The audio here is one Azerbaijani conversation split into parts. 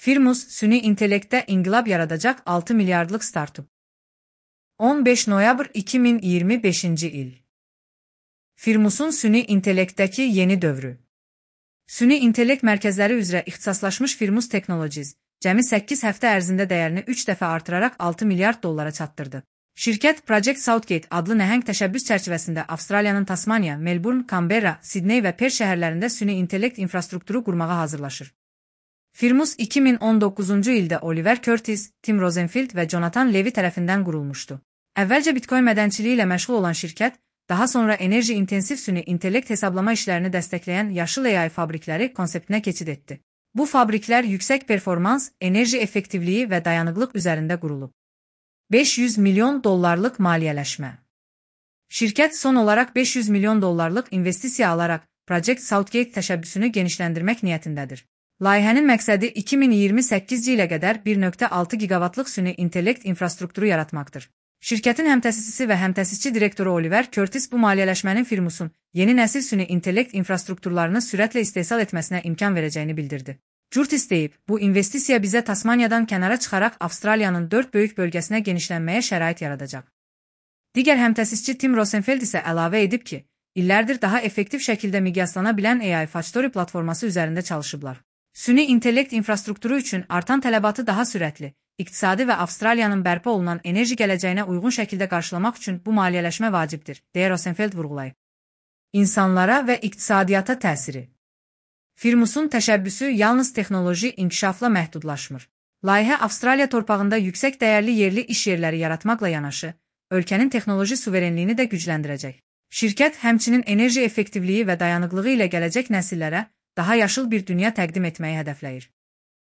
Firmus, süni intellektdə inqilab yaradacaq 6 milyardlıq startup. 15 noyabr 2025-ci il. Firmusun süni intellektdəki yeni dövrü. Süni intellekt mərkəzləri üzrə ixtisaslaşmış Firmus Technologies, cəmi 8 həftə ərzində dəyərini 3 dəfə artıraraq 6 milyard dollara çatdırdı. Şirkət Project Southgate adlı nəhəng təşəbbüs çərçivəsində Avstraliyanın Tasmaniya, Melbourne, Canberra, Sidney və Perth şəhərlərində süni intellekt infrastrukturu qurmağa hazırlaşır. Firmus 2019-cu ildə Oliver Curtis, Tim Rosenfield və Jonathan Levy tərəfindən qurulmuşdu. Əvvəlcə Bitcoin mədənçiliyi ilə məşğul olan şirkət, daha sonra enerji intensiv süni intellekt hesablama işlərini dəstəkləyən yaşıl AI fabrikləri konseptinə keçid etdi. Bu fabriklər yüksək performans, enerji effektivliyi və dayanıqlıq üzərində qurulub. 500 milyon dollarlıq maliyyələşmə. Şirkət son olaraq 500 milyon dollarlıq investisiya alaraq Project Southgate təşəbbüsünü genişləndirmək niyyətindədir. Layihənin məqsədi 2028-ci ilə qədər 1.6 gigavatlıq süni intellekt infrastrukturu yaratmaqdır. Şirkətin həmtəsisçisi və həmtəsisçi direktoru Oliver Curtis bu maliyyələşmənin Firmusun yeni nəsil süni intellekt infrastrukturlarını sürətlə istehsal etməsinə imkan verəcəyini bildirdi. Curtis deyib, bu investisiya bizə Tasmaniyadan kənara çıxaraq Avstraliyanın 4 böyük bölgəsinə genişlənməyə şərait yaradacaq. Digər həmtəsisçi Tim Rosenfield isə əlavə edib ki, illərdir daha effektiv şəkildə miqyaslana bilən AI Factory platforması üzərində çalışıblar. Süni intellekt infrastrukturu üçün artan tələbatı daha sürətli, iqtisadi və Avstraliyanın bərpa olunan enerji gələcəyinə uyğun şəkildə qarşılamaq üçün bu maliyyələşmə vacibdir, deyə Rosenfield vurğulayıb. İnsanlara və iqtisadiyyata təsiri. Firmusun təşəbbüsü yalnız texnoloji inkişafla məhdudlaşmır. Layihə Avstraliya torpağında yüksək dəyərli yerli iş yerləri yaratmaqla yanaşı, ölkənin texnoloji suverenliyini də gücləndirəcək. Şirkət həmçinin enerji effektivliyi və dayanıqlığı ilə gələcək nəsillərə daha yaşıl bir dünya təqdim etməyi hədəfləyir.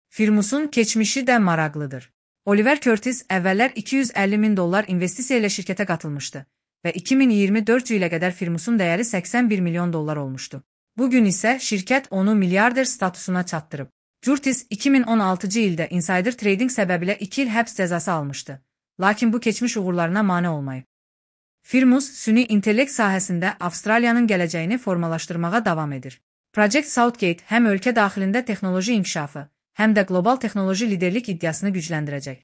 Firmusun keçmişi də maraqlıdır. Oliver Curtis əvvəllər 250 min dollar investisiya ilə şirkətə qatılmışdı və 2024 ilə qədər Firmusun dəyəri 81 milyon dollar olmuşdu. Bugün isə şirkət onu milyarder statusuna çatdırıb. Curtis 2016-cı ildə insider trading səbəbilə 2 il həbs cəzası almışdı, lakin bu keçmiş uğurlarına mane olmayıb. Firmus, süni intellekt sahəsində Avstraliyanın gələcəyini formalaşdırmağa davam edir. Project Southgate həm ölkə daxilində texnoloji inkişafı, həm də qlobal texnoloji liderlik iddiasını gücləndirəcək.